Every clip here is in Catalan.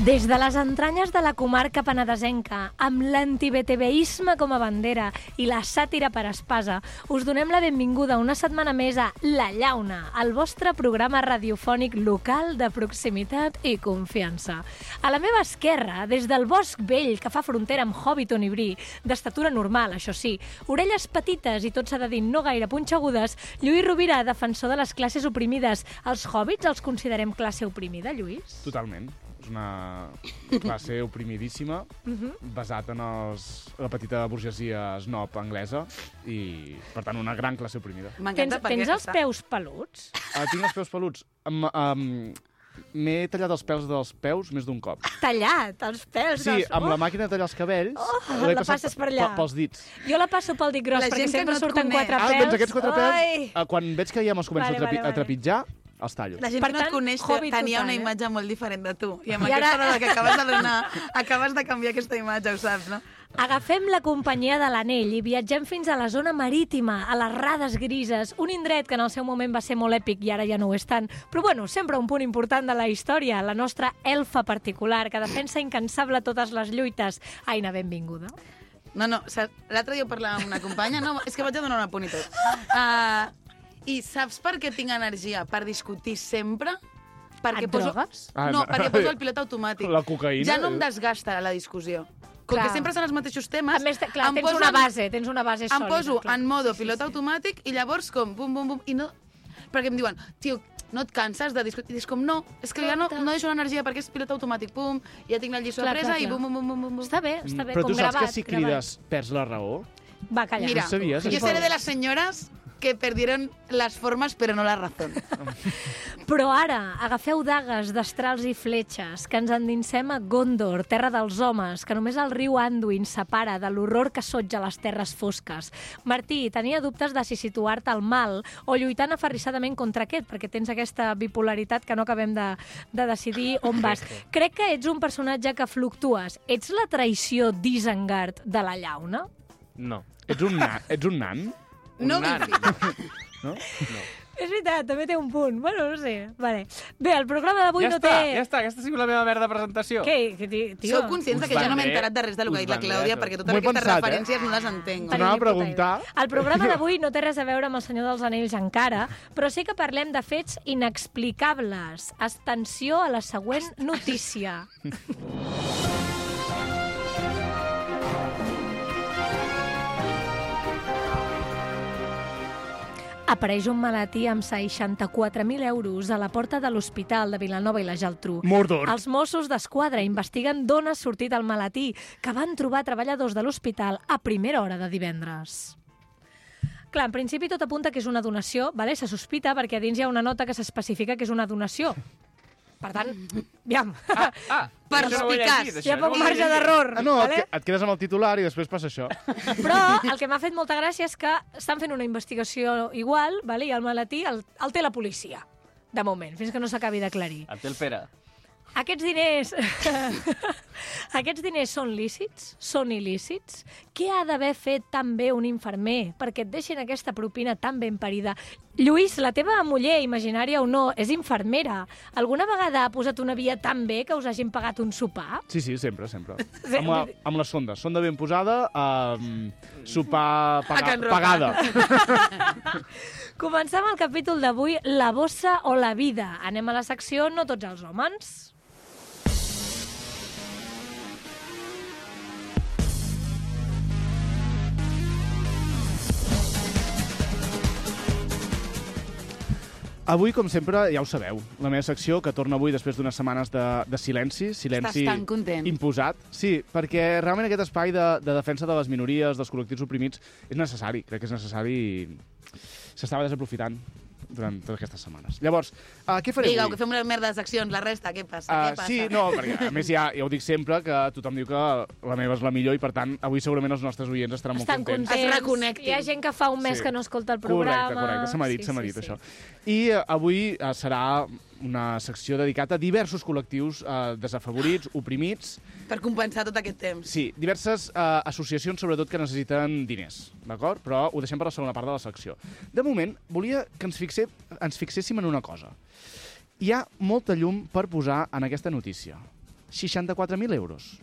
Des de les entranyes de la comarca penedesenca, amb l'anti-BTVisme com a bandera i la sàtira per espasa, us donem la benvinguda una setmana més a La Llauna, el vostre programa radiofònic local de proximitat i confiança. A la meva esquerra, des del bosc vell que fa frontera amb Hobbiton i Bri, d'estatura normal, això sí, orelles petites i tot s'ha de dir no gaire punxegudes, Lluís Rovira, defensor de les classes oprimides. Els hobbits els considerem classe oprimida, Lluís? Totalment. És una classe oprimidíssima, basat en la petita burgesia snob anglesa i, per tant, una gran classe oprimida. Tens els peus peluts? Tinc els peus peluts. M'he tallat els pèls dels peus més d'un cop. Tallat, els pèls? Sí, amb la màquina de tallar els cabells, la passes per allà. Pels dits. Jo la passo pel dit gros, perquè sempre surten quatre pèls. Doncs aquests quatre pèls, quan veig que ja me'ls començo a trepitjar, els tallo. La gent que no et coneix tenia una imatge molt diferent de tu. I amb aquesta dada que acabes de donar, acabes de canviar aquesta imatge, ho saps, no? Agafem la companyia de l'Anell i viatgem fins a la zona marítima, a les Rades Grises, un indret que en el seu moment va ser molt èpic i ara ja no ho és tant, però bueno, sempre un punt important de la història, la nostra elfa particular, que defensa incansable totes les lluites. Aina, benvinguda. No, l'altre dia parlava amb una companya, no, és que vaig a donar un apunt i tot. I saps per què tinc energia? Per discutir sempre? Et drogues? No, perquè poso el pilot automàtic. La cocaïna? Ja no em desgasta la discussió. Com que sempre són els mateixos temes... A més, clar, tens una base sòlida. Em poso en modo pilot automàtic i llavors com bum, bum, bum, i no... Perquè em diuen, tio, no et canses de discutir? I és com, no, és que ja no deixo l'energia perquè és pilot automàtic, pum, ja tinc la lliçó presa i bum, bum, bum, bum, bum. Està bé, com gravat. Però tu saps que si crides perds la raó? Va, calla. Mira, jo seré de les senyores que perdieron las formas però no la razón. Però ara, agafeu dagues, destrals i fletxes, que ens endinsem a Gondor, terra dels homes, que només el riu Anduin separa de l'horror que sotja les terres fosques. Martí, tenia dubtes de si situar-te al mal o lluitant aferrissadament contra aquest, perquè tens aquesta bipolaritat que no acabem de decidir on vas. Crec que ets un personatge que fluctues. Ets la traïció d'Isengard de la Llauna? No. Ets un nan? No, no? És veritat, també té un punt. Bueno, no sé. Vale. Bé, el programa d'avui no té... Ja està, aquesta ha sigut la meva merda presentació. Què, tio? Sou conscients que jo no m'he enterat de res del que ha dit la Clàudia, perquè totes aquestes referències no les entenc. Anava a preguntar... El programa d'avui no té res a veure amb El Senyor dels Anells encara, però sí que parlem de fets inexplicables. Atenció a la següent notícia. Apareix un maletí amb 64.000 euros a la porta de l'Hospital de Vilanova i la Geltrú. Mordor. Els Mossos d'Esquadra investiguen d'on ha sortit el maletí, que van trobar treballadors de l'hospital a primera hora de divendres. Clar, en principi tot apunta que és una donació, vale? Se sospita perquè a dins hi ha una nota que s'especifica que és una donació. Per tant, aviam. Perspicaç. Hi ha poc marge d'error. No, vale? et quedes amb el titular i després passa això. Però el que m'ha fet molta gràcia és que estan fent una investigació igual, vale? I el maletí el té la policia, de moment, fins que no s'acabi d'aclarir. El té el Pere. Aquests diners són lícits? Són il·lícits? Què ha d'haver fet tan bé un infermer perquè et deixin aquesta propina tan ben parida? Lluís, la teva muller, imaginària o no, és infermera. Alguna vegada ha posat una via tan bé que us hagin pagat un sopar? Sí, sempre. Amb la sonda. Sonda ben posada, sopar pagada. Comencem el capítol d'avui, La bossa o la vida. Anem a la secció No tots els homes. Avui, com sempre, ja ho sabeu, la meva secció, que torna avui després d'unes setmanes de silenci Estàs tan content. Imposat. Sí, perquè realment aquest espai de defensa de les minories, dels col·lectius oprimits, és necessari. Crec que és necessari i s'estava desaprofitant durant totes aquestes setmanes. Llavors, què faré avui? avui? Que fem una merda de seccions, la resta, què passa? Sí, no, perquè a més ja ho dic sempre, que tothom diu que la meva és la millor i per tant avui segurament els nostres oients estaran molt contents. Es reconnectin. Hi ha gent que fa un mes que no escolta el programa. Correcte, se m'ha dit això. I avui serà una secció dedicada a diversos col·lectius desafavorits, oprimits. Per compensar tot aquest temps. Sí, diverses associacions, sobretot, que necessiten diners, d'acord? Però ho deixem per la segona part de la secció. De moment, volia que ens fixéssim en una cosa. Hi ha molta llum per posar en aquesta notícia. 64.000 euros.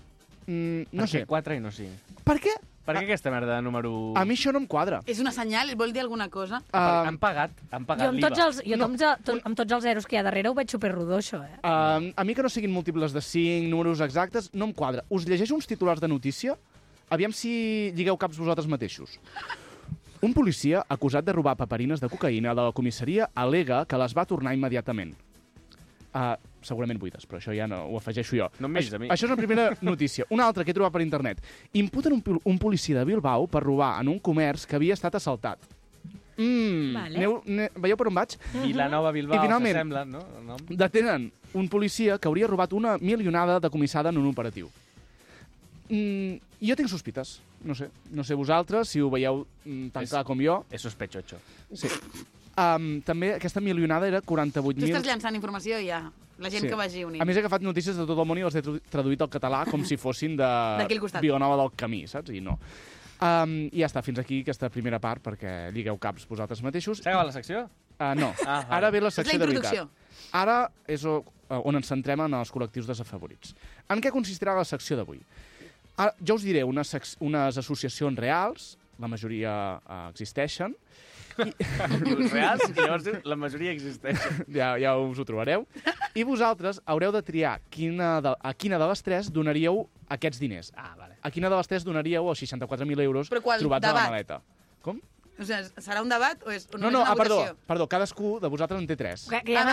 No sé. Per què 4 i no 5? Per què? Per què aquesta merda de número... A mi això no em quadra. És una senyal? Vol dir alguna cosa? Han pagat Jo amb tots els zeros que hi ha darrere ho veig superrodó, això, A mi que no siguin múltiples de 5, números exactes, no em quadra. Us llegeixo uns titulars de notícia? Aviam si lligueu caps vosaltres mateixos. Un policia acusat de robar paperines de cocaïna de la comissaria al·lega que les va tornar immediatament. Segurament buides, però això ja no ho afegeixo jo. No em miris a mi. Això és una primera notícia. Una altra que he trobat per internet. Imputen un policia de Bilbao per robar en un comerç que havia estat assaltat. Vale. Veieu per on vaig? Vilanova, Bilbao, I finalment, s'assembla, no? El nom? Detenen un policia que hauria robat una milionada decomissada en un operatiu. Jo tinc sospites. No sé vosaltres, si ho veieu tan clar com jo. És sospechocho. Sí. També aquesta milionada era 48.000... Tu estàs llançant informació i ja. La gent que vagi unint. A més, he agafat notícies de tot el món i les he traduït al català com si fossin d'aquí al costat. Vilanova del Camí, saps? I no. I ja està, fins aquí aquesta primera part, perquè lligueu caps vosaltres mateixos. S'ha acabat la secció? No. Vale. Ara ve la secció És la de veritat. introducció. Ara és on ens centrem en els col·lectius desafavorits. En què consistirà la secció d'avui? Jo us diré unes associacions reals, la majoria existeixen. Reals, i llavors la majoria existeix. Ja us ho trobareu. I vosaltres haureu de triar a quina de les tres donaríeu aquests diners. Vale. A quina de les tres donaríeu els 64.000 euros trobats a la maleta. Com? O sigui, serà un debat o és No, una votació? perdó, cadascú de vosaltres en té tres. Ja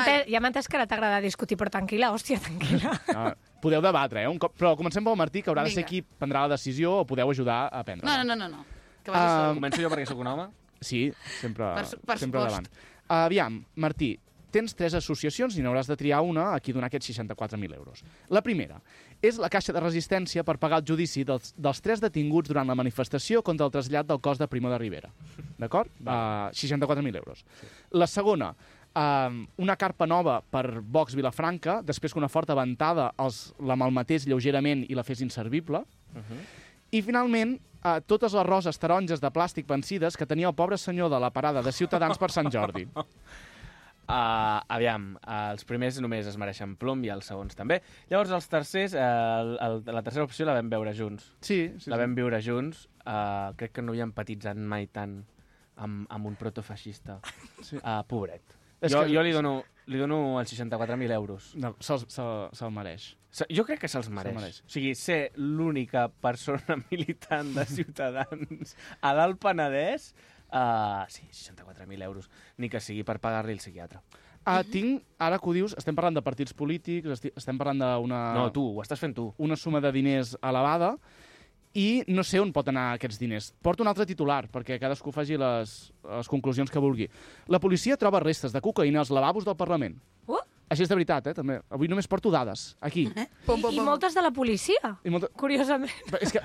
m'ha entès que ara t'agrada discutir, però tranquil·la, hòstia, tranquil·la. Podeu debatre, però comencem pel Martí, que haurà de ser Vinga. qui prendrà la decisió o podeu ajudar a prendre-la. No. Que vagi sol. Començo jo perquè sóc un home? Sí, sempre Per sempre supost. davant. Aviam, Martí, tens tres associacions i n'hauràs de triar una a qui donar aquests 64.000 euros. La primera és la Caixa de Resistència per pagar el judici dels 3 detinguts durant la manifestació contra el trasllat del cos de Primo de Rivera. D'acord? 64.000 euros. La segona, una carpa nova per Vox Vilafranca, després que una forta ventada la malmetés lleugerament i la fes inservible. I, finalment, totes les roses taronges de plàstic vencides que tenia el pobre senyor de la parada de Ciutadans per Sant Jordi. Aviam, els primers només es mereixen plom i els segons també. Llavors, els tercers, la tercera opció la vam veure junts. Sí. La vam viure junts. Crec que no hi ha empatitzat mai tant amb un protofeixista. Sí. Pobret. És Jo que- li dono els 64.000 euros. No, se'l mereix. Jo crec que se'ls mereix. mereix. O sigui, ser l'única persona militant de Ciutadans a l'Alt Penedès, sí, 64.000 euros. Ni que sigui per pagar-li el psiquiatre. Ara que ho dius, estem parlant de partits polítics, estem parlant d'una... No, tu, ho estàs fent tu. Una suma de diners elevada i no sé on pot anar aquests diners. Porto un altre titular, perquè cadascú faci les conclusions que vulgui. La policia troba restes de cocaïna als lavabos del Parlament. Així és de veritat, també. Avui només porto dades, aquí. I moltes de la policia, curiosament. És que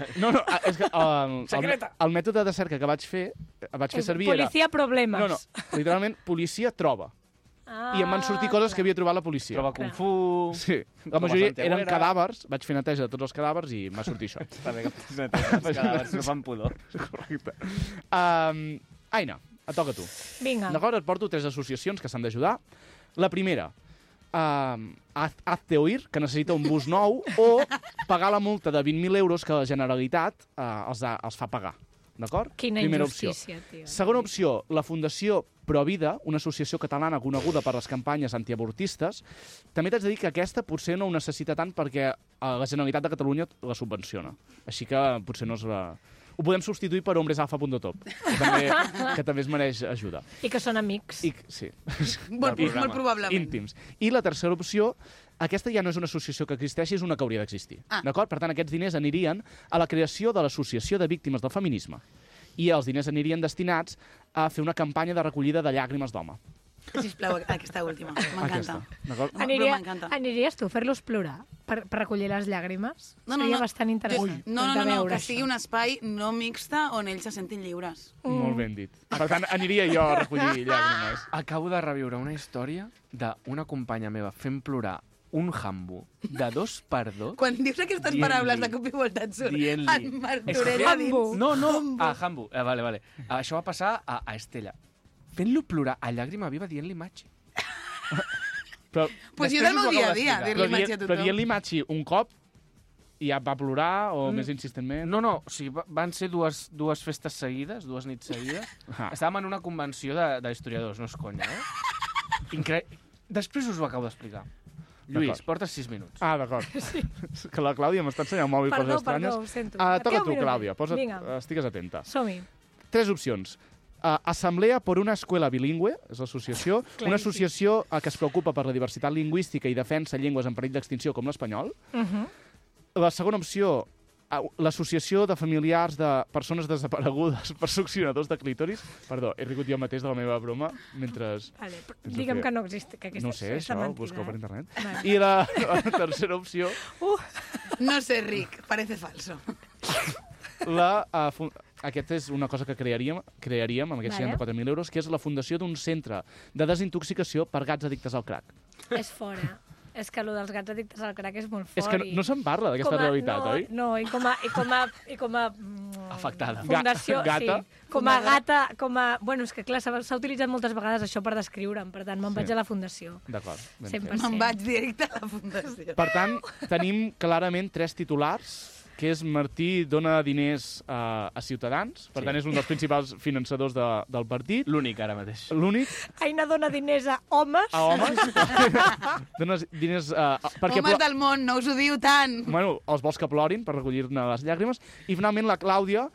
el mètode de cerca que vaig fer servir era... Policia problemes. No, literalment, policia troba. I em van sortir coses que havia trobat la policia. Troba Kung Fu... Sí, la majoria eren cadàvers, vaig fer neteja de tots els cadàvers i m'ha sortit això. Està bé que fas neteja, els cadàvers no fan pudor. Correcte. Aina, et toca a tu. Vinga. D'acord, et porto 3 associacions que s'han d'ajudar. La primera, Hazte Oír, que necessita un bus nou, o pagar la multa de 20.000 euros que la Generalitat els fa pagar. D'acord? Quina Primera injustícia, opció. tio. Segona opció, la Fundació Provida, una associació catalana coneguda per les campanyes antiavortistes. També t'haig de dir que aquesta potser no ho necessita tant perquè la Generalitat de Catalunya la subvenciona. Així que potser no és la... Ho podem substituir per hombresalfa.top, que també es mereix ajuda. I que són amics. Sí. Molt probablement. Íntims. I la tercera opció, aquesta ja no és una associació que existeixi, és una que hauria d'existir. D'acord? Per tant, aquests diners anirien a la creació de l'Associació de Víctimes del Feminisme. I els diners anirien destinats a fer una campanya de recollida de llàgrimes d'home. Sisplau, aquesta última. M'encanta. Aniries tu a fer-los plorar per recollir les llàgrimes? Seria bastant interessant. No, que sigui un espai no mixta on ells se sentin lliures. Molt ben dit. Per tant, aniria jo a recollir llàgrimes. Acabo de reviure una història d'una companya meva fent plorar un jambo de 2x2. Quan dius aquestes paraules de cop i volta et surt en Martorell a dins. No, jambo. Vale. Això va passar a Estella. Fent-lo plorar a llàgrima viva dient-li matxi. Pues jo del meu dia a dia, dir-li Machi a Però tothom. dient-li Machi un cop i ja va plorar, o més insistentment? No, o sigui, van ser dues festes seguides, 2 nits seguides. Ah. Estàvem en una convenció d'historiadors, no és conya, Després us ho acabo d'explicar. Lluís, portes 6 minuts. Ah, d'acord. Que la Clàudia m'està ensenyant un mòbil coses estranyes. Perdó, ho sento. Toca Queda un tu, minut. Clàudia. Vinga. Estigues atenta. Som-hi. 3 opcions. Assemblea por una escuela bilingüe, és l'associació, una associació que es preocupa per la diversitat lingüística i defensa llengües en perill d'extinció com l'espanyol. La segona opció, l'associació de familiars de persones desaparegudes per succionadors de clítoris. Perdó, he rigut jo mateix de la meva broma mentre... Vale, digue'm que no existe, que aquesta No sé, és això, mentida. busqueu per internet. Vale. I la tercera opció, No sé, Rick, parece falso. aquesta és una cosa que crearíem amb aquests Vale. 64.000 euros, que és la fundació d'un centre de desintoxicació per gats addictes al crack. És fora. És que allò dels gats addictes al crack és molt fort. És que no se'n parla d'aquesta realitat, oi? No, i com a Afectada. fundació, Gata. sí. Com a gata, Bueno, és que clar, s'ha utilitzat moltes vegades això per descriure'm, per tant, me'n vaig a la fundació. D'acord. ben 100%. fet. Me'n vaig directe a la fundació. Per tant, tenim clarament 3 titulars, que és Martí dona diners a Ciutadans, per tant és un dels principals finançadors del partit. L'únic, ara mateix. L'únic, Aina dona diners a homes. a homes. Dona diners... Homes del món, no us ho diu tant. Bueno, els vols que plorin per recollir-ne les llàgrimes. I finalment la Clàudia,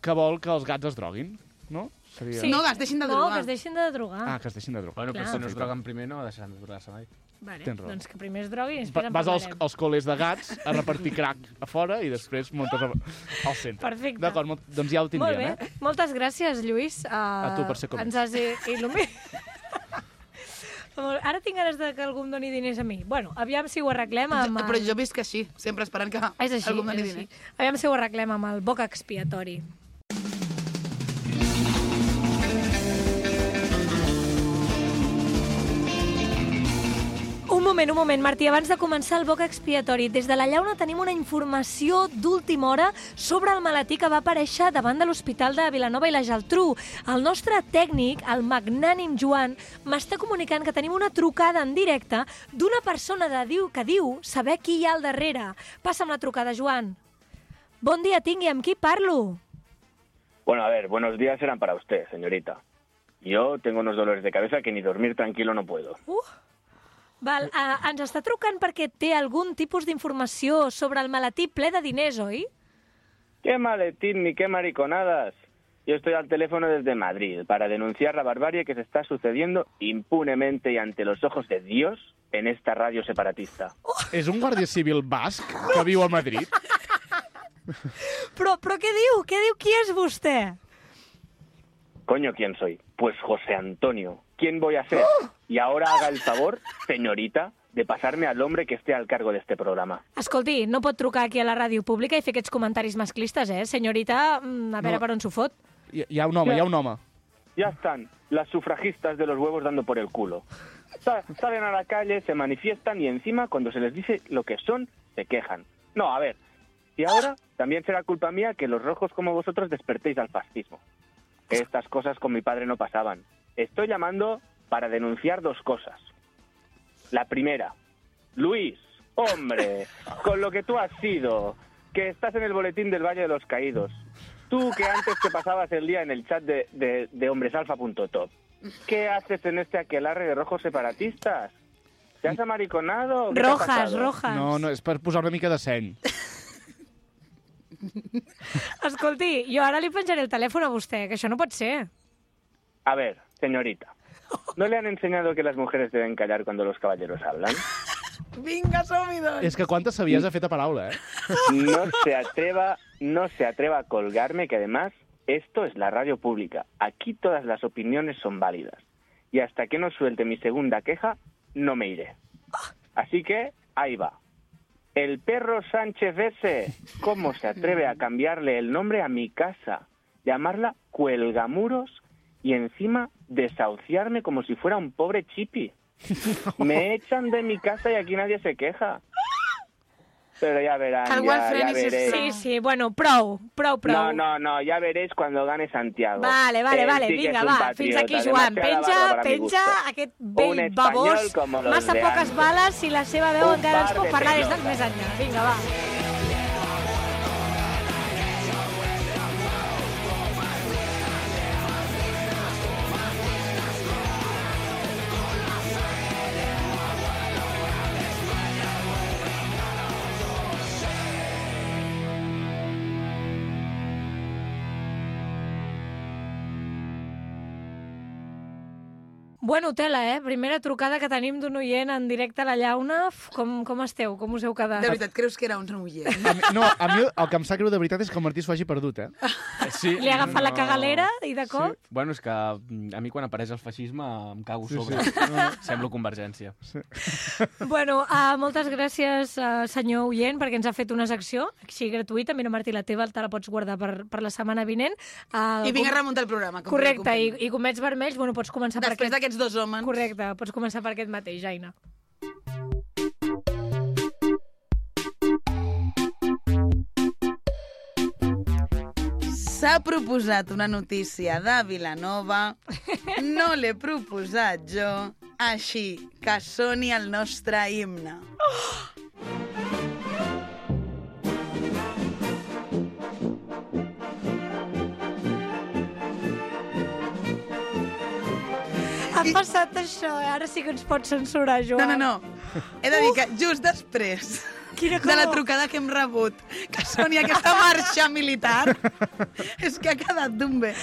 que vol que els gats es droguin, no? Seria... No, que es deixin de No, drogar. que es deixin de drogar. Ah, que es deixin de drogar. Bueno, però Clar. si no es droguen primer no deixaran de drogar-se mai. Vale, Tens raó. doncs que primer es droguin i després en Vas parlarem. als col·les de gats a repartir crack a fora i després muntes al centre. Perfecte. D'acord, doncs ja ho Molt tindríem, bé. Moltes gràcies, Lluís. A tu per ser com ens ets. has il·luminat. Ara tinc ganes de que algú em doni diners a mi. Bueno, aviam si ho arreglem amb... Però jo visc així, sempre esperant que És així, algú em doni és així. diners. Aviam si ho arreglem amb el boc expiatori. Un moment, Martí. Abans de començar el boc expiatori, des de la Llauna tenim una informació d'última hora sobre el maletí que va aparèixer davant de l'Hospital de Vilanova i la Geltrú. El nostre tècnic, el magnànim Joan, m'està comunicant que tenim una trucada en directe d'una persona que diu saber qui hi ha al darrere. Passa'm la trucada, Joan. Bon dia, tingui, amb qui parlo? Bueno, a ver, buenos días eran para usted, señorita. Yo tengo unos dolores de cabeza que ni dormir tranquilo no puedo. Val, ens està trucant perquè té algun tipus d'informació sobre el maletí ple de diners, oi? ¿Qué maletín ni qué mariconadas? Yo estoy al teléfono desde Madrid para denunciar la barbarie que se está sucediendo impunemente y ante los ojos de Dios en esta radio separatista. És un guàrdia civil basc que viu a Madrid? Però què diu? Què diu? Qui és vostè? Coño, ¿quién soy? Pues José Antonio. ¿Quién voy a ser? Y ahora haga el favor, señorita, de pasarme al hombre que esté al cargo de este programa. Escolti, no pot trucar aquí a la ràdio pública i fer aquests comentaris masclistes, senyorita? A veure per on s'ho fot. Hi ha un home. Ya están las sufragistas de los huevos dando por el culo. Salen a la calle, se manifiestan y encima, cuando se les dice lo que son, se quejan. No, a ver, y ahora también será culpa mía que los rojos como vosotros despertéis al fascismo. Estas cosas con mi padre no pasaban. Estoy llamando para denunciar 2 cosas. La primera, Luis, hombre, con lo que tú has sido, que estás en el boletín del Valle de los Caídos. Tú que antes te pasabas el día en el chat de hombresalfa.top. ¿Qué haces en este aquelarre de rojos separatistas? ¿Te has amariconado? ¿Qué te ha pasado? Rojas. No, és per posar una mica de seny. Escolti, jo ara li penjaré el telèfon a vostè, que això no pot ser. A ver, señorita, ¿no le han enseñado que las mujeres deben callar cuando los caballeros hablan? Vinga, som-hi, doncs. És que quantes sabies ha fet a paraula, No se atreva a colgarme, que además esto es la radio pública. Aquí todas las opiniones son válidas. Y hasta que no suelte mi segunda queja, no me iré. Así que, ahí va. El perro Sánchez ese, ¿cómo se atreve a cambiarle el nombre a mi casa? Llamarla Cuelgamuros y encima desahuciarme como si fuera un pobre chipi. Me echan de mi casa y aquí nadie se queja. Pero ya verán, Que el ya Walfrenis és veréis. Sí, sí, bueno, prou. No, ya veréis cuando gane Santiago. Vale, Él sí que vinga, es un va, patriota, fins aquí, Joan. demasiada barba para mi Penja gusto. aquest Un vell español babós, como los massa de poques antes. bales i la seva veu Un encara ens par pot de parlar des del pelotas. més enllà. Vinga, va. Bueno, tela, Primera trucada que tenim d'un oient en directe a la llauna. Com esteu? Com us heu quedat? De veritat, creus que era un oient? A mi el que em sap greu de veritat és que el Martí s'ho hagi perdut, Sí, Li ha agafat la cagalera i de cop... Bueno, és que a mi quan apareix el feixisme em cago sobre. Semblo Convergència. Bueno, moltes gràcies, senyor oient, perquè ens ha fet una secció així gratuïta. Mira, Martí, la teva te la pots guardar per la setmana vinent. I vinc a remuntar el programa. Correcte, i comets vermells, bueno, pots començar per Després aquest... d'aquests dos homes. Correcte, pots començar per aquest mateix, Aina. S'ha proposat una notícia de Vilanova, no l'he proposat jo, així que soni el nostre himne. Ha passat això, ara sí que ens pots censurar, Joan. No. He de dir que just després Quina de la calor. trucada que hem rebut, que soni aquesta marxa militar, és que ha quedat d'un bé.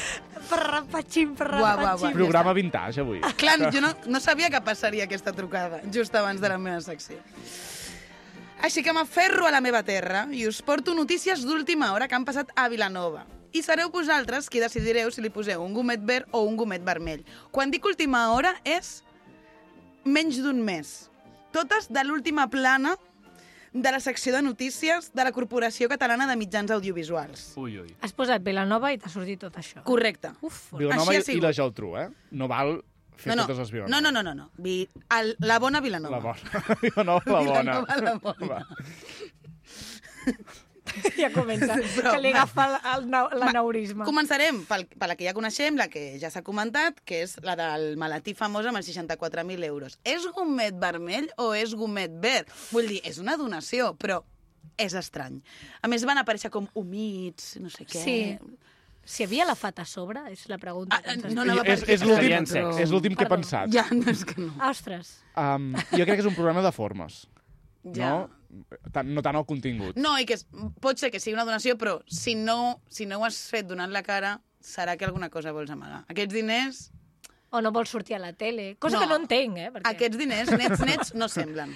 Parrapatxim. Buah. Programa vintage, avui. Clar, jo no sabia que passaria aquesta trucada, just abans de la meva secció. Així que m'aferro a la meva terra i us porto notícies d'última hora que han passat a Vilanova. I sereu vosaltres qui decidireu si li poseu un gomet verd o un gomet vermell. Quan dic última hora és menys d'un mes. Totes de l'última plana de la secció de notícies de la Corporació Catalana de Mitjans Audiovisuals. Ui. Has posat Vilanova i t'ha sortit tot això. Correcte. Uf, Vilanova Així ha i sigut. la Geltrú, No val fer totes les Vilanova. No. La bona Vilanova. La bona. Vilanova, la bona. Vilanova, la bona. ja comença, Però, que li agafa l'aneurisma. Començarem per la que ja coneixem, la que ja s'ha comentat, que és la del maletí famós amb els 64.000 euros. És gomet vermell o és gomet verd? Vull dir, és una donació, però és estrany. A més, van aparèixer com humits, no sé què... Sí. Si havia la fat a sobre, és la pregunta. que ens has no, fet. no, És l'últim que he Perdó. pensat. Ja, no és que no. Ostres. Jo crec que és un problema de formes. Ja. No tant el contingut. No, i que pot ser que sigui una donació, però si no ho has fet donant la cara, serà que alguna cosa vols amagar. Aquests diners... O no vols sortir a la tele. Cosa que no entenc, Perquè... Aquests diners, nets, no semblen.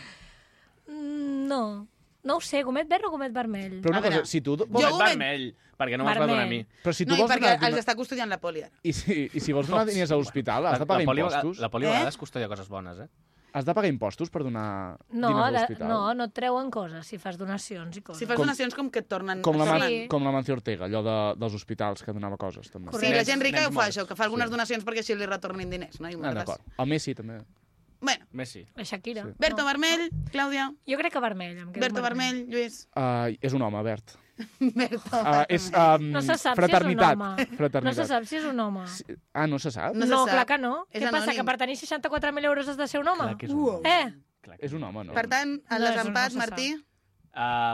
No ho sé, gomet verd o gomet vermell? Però una A veure, cosa, si tu... Gomet ho vermell, perquè no me'ls va donar a mi. Però si tu No, i vols perquè donar... els està custodiant la poli ara. I si vols donar diners a l'hospital, has de pagar impostos? La poli a vegades custodia coses bones, Has de pagar impostos per donar No, diners a l'hospital? no et treuen coses si fas donacions i coses. Si fas donacions com que et tornen... Com la, Sí. com la Mancio Ortega, allò dels hospitals que donava coses, també. Sí, la gent rica Nens ho fa, morts. això, que fa algunes donacions perquè així li retornin diners, no? I D'acord. El Messi, també. Bueno, Messi. La Shakira. Sí. verd o vermell, Clàudia? Jo crec que vermell. Em quedo Verd o vermell, Lluís? És un home, verd. Verd o És No se sap fraternitat. si és un home. Fraternitat. No se sap si és un home. No se sap? No se No, sap. clar que no. És Què passa, anònim. que per tenir 64.000 euros has de ser un home? Clar que és un home. Clar que És un home, no? Per tant, en No, les això no empats, se Martí?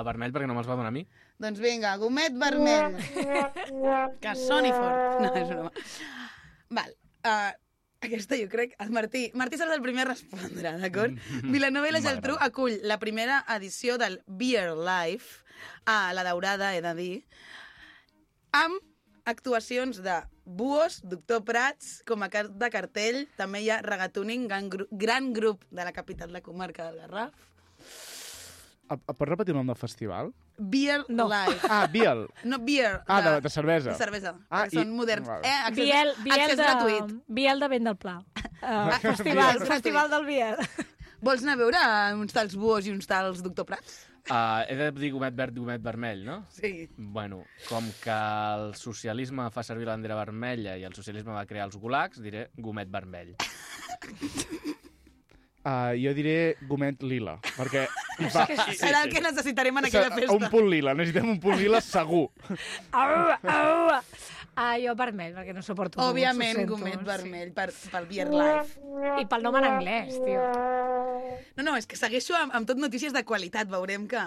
Vermell perquè no me'ls va donar a mi. Doncs vinga, gomet vermell. Que soni fort. No, és broma. Val. Aquesta jo crec... Martí serà el primer a respondre, d'acord? Vilanova i la Geltrú acull la primera edició del Beer Life, a la Daurada, he de dir, amb actuacions de Buos, Doctor Prats, com a cap de cartell, també hi ha Regatuning, gran grup de la capital de la comarca del Garraf. Pots repetir el nom del festival? Beer No. Life. Biel. No, beer. De cervesa. De cervesa. Ah, Són moderns. Vale. Accés gratuït. Biel de Vent del Pla. Festival del Biel. Vols anar a veure uns tals Buos i uns tals Doctor Prats? He de dir gomet verd i gomet vermell, no? Sí. Bueno, com que el socialisme fa servir la bandera vermella i el socialisme va crear els gulags, diré gomet vermell. Jo diré gomet lila, perquè... Serà el que necessitarem en aquella festa. Un punt lila, necessitem un punt lila segur. Jo vermell, perquè no suporto. Òbviament, gomet vermell pel Beer Life. I pel nom en anglès, tio. No, és que segueixo amb tot notícies de qualitat. Veurem que...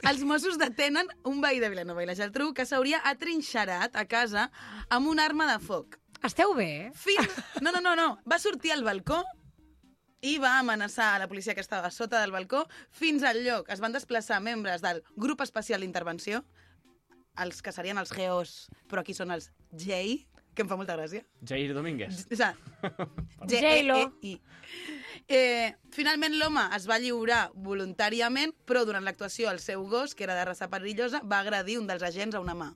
Els Mossos detenen un veí de Vilanova i la Geltrú que s'hauria atrinxerat a casa amb una arma de foc. Esteu bé? No. Va sortir al balcó i va amenaçar a la policia que estava sota del balcó. Fins al lloc es van desplaçar membres del grup especial d'intervenció, els que serien els GEOs, però aquí són els J, que em fa molta gràcia. Jair Domínguez. O sigui, J-Lo. Finalment l'home es va lliurar voluntàriament, però durant l'actuació el seu gos, que era de raça perillosa, va agredir un dels agents a una mà.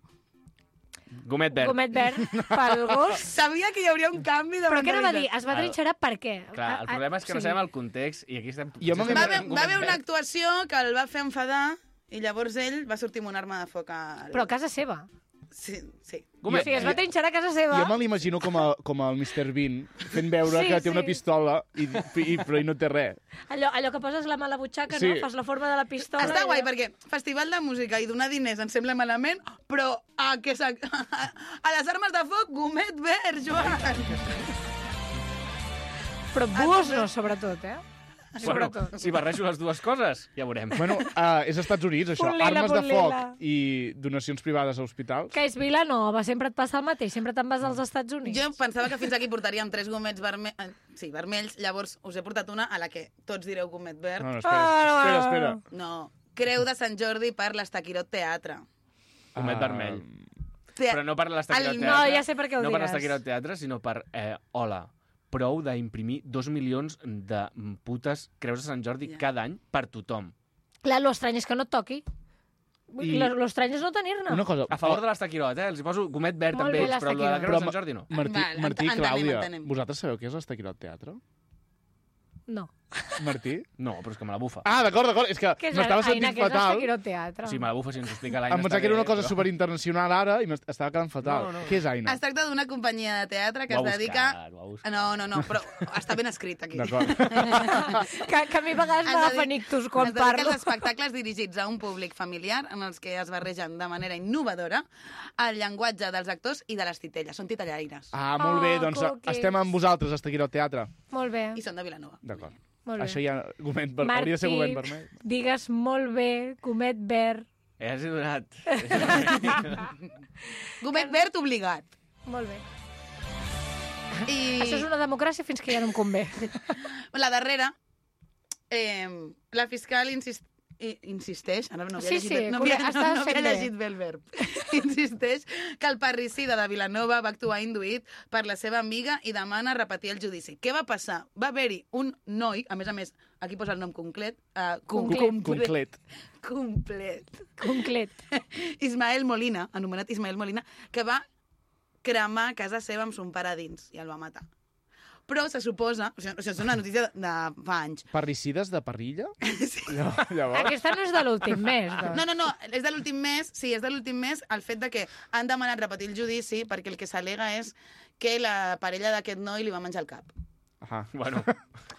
Gomet verd. Gomet verd pel gos. Sabia que hi hauria un canvi de Però què anava a dir? mentalitat. Es va trinxerar per què? Clar, el problema és que no sabem el context i aquí estem... Va haver una actuació que el va fer enfadar i llavors ell va sortir amb una arma de foc. Però a casa seva. Sí. O sigui, es va trinxerar a casa seva. Jo me l'imagino com el Mr. Bean, fent veure que té una pistola però no té res. Allò que poses la mà a la butxaca, no? Fas la forma de la pistola. Està guai, perquè festival de música i donar diners em sembla malament, però a les armes de foc, gomet verd, Joan! Però búhos no, sobretot, eh? Bueno, si barrejo les dues coses, ja veurem. Bueno, és als Estats Units, això. Punt lila, Armes de punt foc lila. i donacions privades a hospitals. Que és Vilanova, sempre et passa el mateix, sempre te'n vas als Estats Units. Jo pensava que fins aquí portaríem 3 gomets vermells, llavors us he portat una a la que tots direu gomet verd. No, espera. No, Creu de Sant Jordi per l'Estaquirot Teatre. Gomet vermell. Però no per l'Estaquirot Teatre. No, ja sé per què ho No per diràs. l'Estaquirot Teatre, sinó per... Hola, prou d'imprimir 2 milions de putes creus de Sant Jordi cada any per tothom. Clar, l'estrany és que no et toqui. I- L'estrany és no tenir-ne. Una cosa... A favor de l'Estaquirot, Els hi poso gomet verd Molt amb bé, ells, però el de la l'Estaquirot. creu de Però Sant Jordi no. Martí i entenem, Clàudia, entenem. vosaltres sabeu què és l'Estaquirot Teatre? No. Martí? No, però és que me la bufa. Ah, d'acord. És que Què és m'estava Aina, sentint què és fatal. l'Estaquirot Teatre? O sigui, me la bufa si ens ho explica l'Aina. Em pensava que era una cosa superinternacional ara i m'estava quedant fatal. No. Què és Aina? Es tracta d'una companyia de teatre que Ho es ha dedica... buscat. No, però està ben escrit aquí. D'acord. Que a mi a vegades m'agafen ictus quan es dedica parlo. als espectacles dirigits a un públic familiar en els que es barregen de manera innovadora el llenguatge dels actors i de les titelles. Són titellaires. Ah, molt bé, doncs cookies. estem amb vosaltres, Estaquirot Teatre. Molt bé. I són de Vilanova. D'acord. Molt bé. Això ja hauria de ser gomet vermell. digues molt bé, gomet verd. Ja s'he donat. Gomet verd obligat. Molt bé. I Això és una democràcia fins que ja no em convé. la darrera, la fiscal insisteix, ara no havia Sí, llegit, sí, no havia, està no havia fent bé. llegit bé el verb, insisteix que el parricida de Vilanova va actuar induït per la seva amiga i demana repetir el judici. Què va passar? Va haver-hi un noi, a més, aquí posa el nom complet, Conclet. Conclet. Ismael Molina, anomenat Ismael Molina, que va cremar casa seva amb son pare a dins i el va matar. Però se suposa, o sigui, és una notícia de fa anys. Parricides de parrilla? Sí. Llavors... Aquesta no és de l'últim mes, doncs. No, és de l'últim mes, sí, és de l'últim mes el fet de que han demanat repetir el judici perquè el que s'al·lega és que la parella d'aquest noi li va menjar el cap. Ah, Bueno,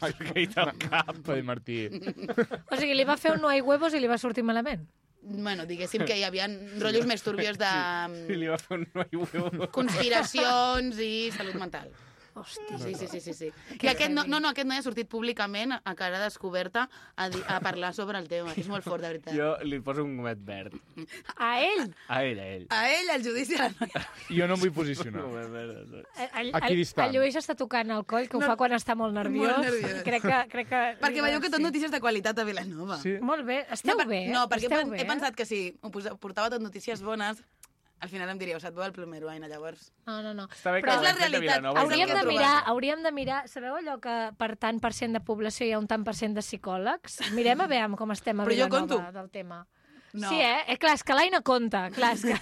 has caït al cap. Pedro Martí. O sigui, li va fer un no hay huevos i li va sortir malament. Bueno, diguéssim que hi havia rotllos més turbios de I li va fer un noi huevo. conspiracions i salut mental. Hòstia. Sí. I aquest aquest noi ha sortit públicament a cara descoberta a parlar sobre el tema. És molt fort, de veritat. Jo li poso un gomet verd. A ell? A ell. A ell, el judici a la noia. Jo no em vull posicionar. Un gomet verd. Aquí distant. El Lluís està tocant el coll, que ho fa quan està molt nerviós. Molt nerviós. Crec que... Perquè veieu que tot notícies de qualitat a Vilanova. Sí. Molt bé. Esteu bé? No, perquè Esteu bé? he pensat que si portava tot notícies bones, al final em diríeu, se't veu el plomero, Aina, llavors. No. Està bé Però que és la ho hem fet a realitat. Vilanova. Hauríem Hauríem de de mirar, trobar-se. hauríem de mirar... Sabeu allò que per tant % de població hi ha un tant % de psicòlegs? Mirem a veure com estem a Però jo Vilanova conto. del tema. No. Sí, clar, és que l'Aina compta. Clar, és que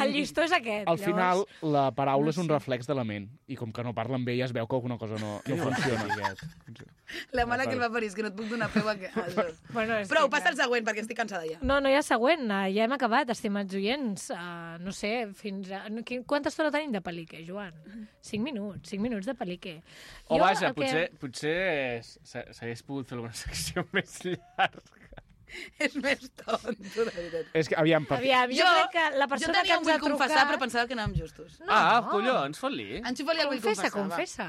el llistó és aquest. Al final, llavors... la paraula és un reflex de la ment. I com que no parla amb ella, es veu que alguna cosa no funciona. La mala que el va parir, és que no et puc donar peu a... Bueno, és Prou, que, passa al següent, perquè estic cansada ja. No hi ha següent. Ja hem acabat, estimats oients. No sé, fins a... Quanta estona tenim de pel·lique, Joan? 5 minuts. 5 minuts de pel·lique. O vaja, potser s'hagués pogut fer alguna secció més llarga. És més tonto, de veritat. És que, aviam, jo crec que la persona que ens ha trucat... confessar, però pensava que anàvem justos. No. Collons, fot-li. Enxufa-li el vull confessar, Confessa.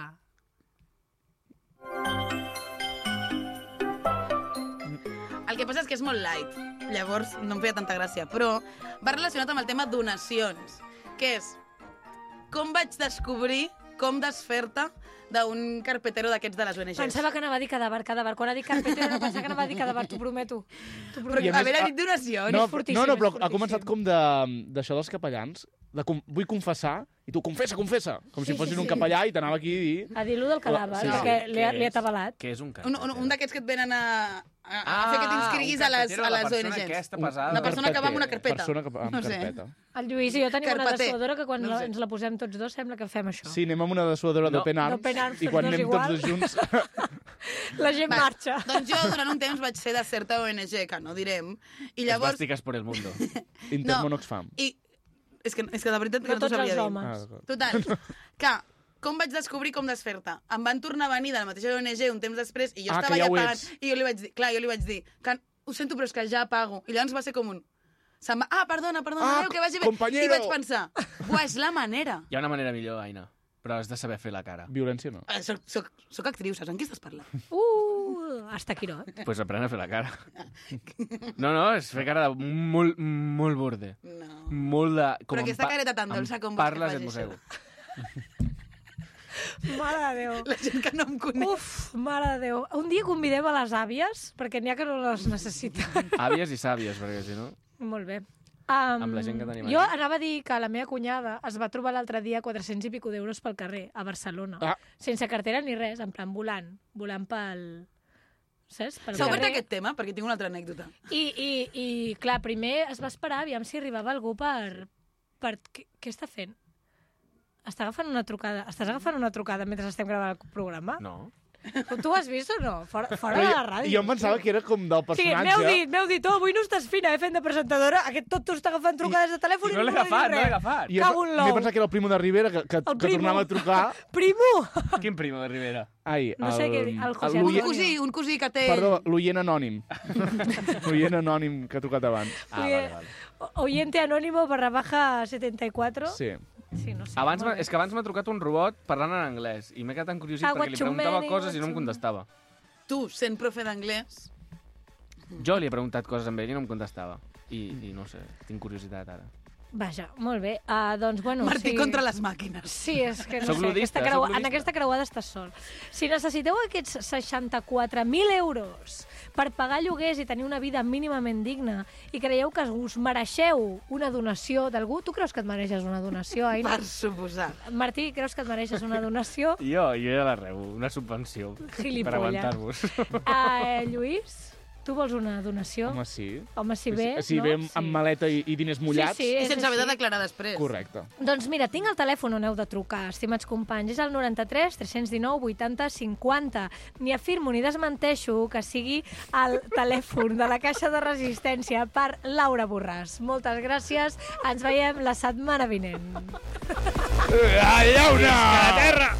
El que passa és que és molt light, llavors no em feia tanta gràcia, però va relacionat amb el tema donacions, que és com vaig descobrir com desfer-te d'un carpetero d'aquests de les ONGs. Pensava que anava a dir cadàver. Quan ha dit carpetero no pensava que anava a dir cadàver, t'ho prometo. Però haver dit donacions... No, però ha començat com d'això dels capellans, vull confessar, i tu confessa, com si fossin un capellà i t'anava aquí a dir... A dir-lo del cadàver, perquè li ha atabalat. Què és un carpetero? Un d'aquests que et venen a fer que t'inscriguis a les ONGs. La persona que va amb una carpeta. Persona amb carpeta. El Lluís i jo tenim una dessuadora que quan ens la posem tots dos sembla que fem això. Sí, anem amb una dessuadora d'Open Arms i quan anem tots dos junts... La gent marxa. Doncs jo durant un temps vaig ser de certa ONG, que no direm, i llavors... Esvàstiques por el mundo. Intermon Oxfam. És que de veritat que no t'ho tots sabia els dir. homes. Total, que com vaig descobrir com desfer-te? Em van tornar a venir de la mateixa ONG un temps després i jo estava ja pagant. I jo li vaig dir, que ho sento, però és que ja pago. I llavors va ser com un... perdona, adéu, que vagi bé. Compañero. I vaig pensar, és la manera. Hi ha una manera millor, Aina, però has de saber fer la cara. Violència no. Soc actriu, saps amb qui estàs parlant? Hasta Quirot. Pues aprèn a fer la cara. No, és fer cara de molt borde. No. Molt de... Però aquesta careta tan dolça com vols que parles faci et mossego. Mare de Déu. La gent que no em coneix. Mare de Déu. Un dia convidem a les àvies, perquè n'hi ha que no les necessiten. Àvies i sàvies, perquè si no... Molt bé. Amb la gent que tenim jo aquí. anava a dir que la meva cunyada es va trobar l'altre dia 400 i pico d'euros pel carrer, a Barcelona. Sense cartera ni res, en plan volant pel... Saps? S'ha obert aquest tema? Perquè tinc una altra anècdota. I clar, primer es va esperar, aviam si arribava algú per... Què està fent? Estàs agafant una trucada mentre estem gravant el programa? No. Tu ho has vist o no? Fora de la ràdio. Jo em pensava que era com del personatge. Sí, m'heu dit, avui no estàs fina, fent de presentadora, aquest tot està agafant trucades de telèfon i no l'he agafat. Cago en l'ou. M'he pensat que era el Primo de Rivera, que tornava a trucar. Primo! Quin Primo de Rivera? No sé què dir, el José Antonio. Un cosí que té... Perdó, l'oient anònim. L'oient anònim que ha trucat abans. Vale. Oyente anónimo /74. Sí. Sí, no sé. És que abans m'ha trucat un robot parlant en anglès i m'he quedat encuriosit perquè li preguntava coses i no em contestava. Tu, sent profe d'anglès... Jo li he preguntat coses amb ell i no em contestava. I no sé, tinc curiositat ara. Vaja, molt bé. Doncs, bueno... Martí contra les màquines. Sí, és que no Soc sé, ludista, en aquesta creuada estàs sol. Si necessiteu aquests 64.000 euros per pagar lloguers i tenir una vida mínimament digna i creieu que us mereixeu una donació d'algú, tu creus que et mereixes una donació, Aina? Per suposat. Martí, creus que et mereixes una donació? Jo ja la rebo, una subvenció. Gilipolla. Per aguantar-vos. Lluís? Tu vols una donació? Home, sí. Home, si ve, si ve amb maleta i diners mullats... Sí, I sense haver de declarar després. Correcte. Doncs mira, tinc el telèfon on heu de trucar, estimats companys. És el 93 319 80 50. Ni afirmo ni desmenteixo que sigui el telèfon de la Caixa de Resistència per Laura Borràs. Moltes gràcies. Ens veiem la setmana vinent. Llauna! Visca la terra!